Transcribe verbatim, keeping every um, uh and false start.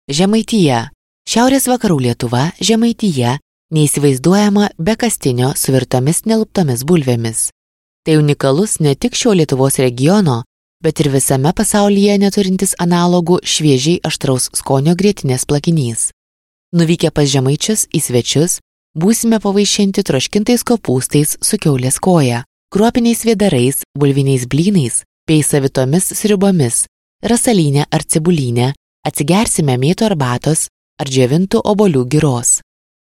Žemaitija. Šiaurės vakarų Lietuva, Žemaitija, neįsivaizduojama be kastinio su virtomis neluptomis bulvėmis. Tai unikalus ne tik šio Lietuvos regiono, bet ir visame pasaulyje neturintis analogų šviežiai aštraus skonio grietinės plakinys. Nuvykę pas žemaičius į svečius, būsime pavaišinti troškintais kopūstais su kiaulės koja, kruopiniais vėdarais, bulviniais blynais, bei savitomis sriubomis, rasalinę ar cibulinę, atsigersime mėtų arbatos ar džiovintų obuolių giros.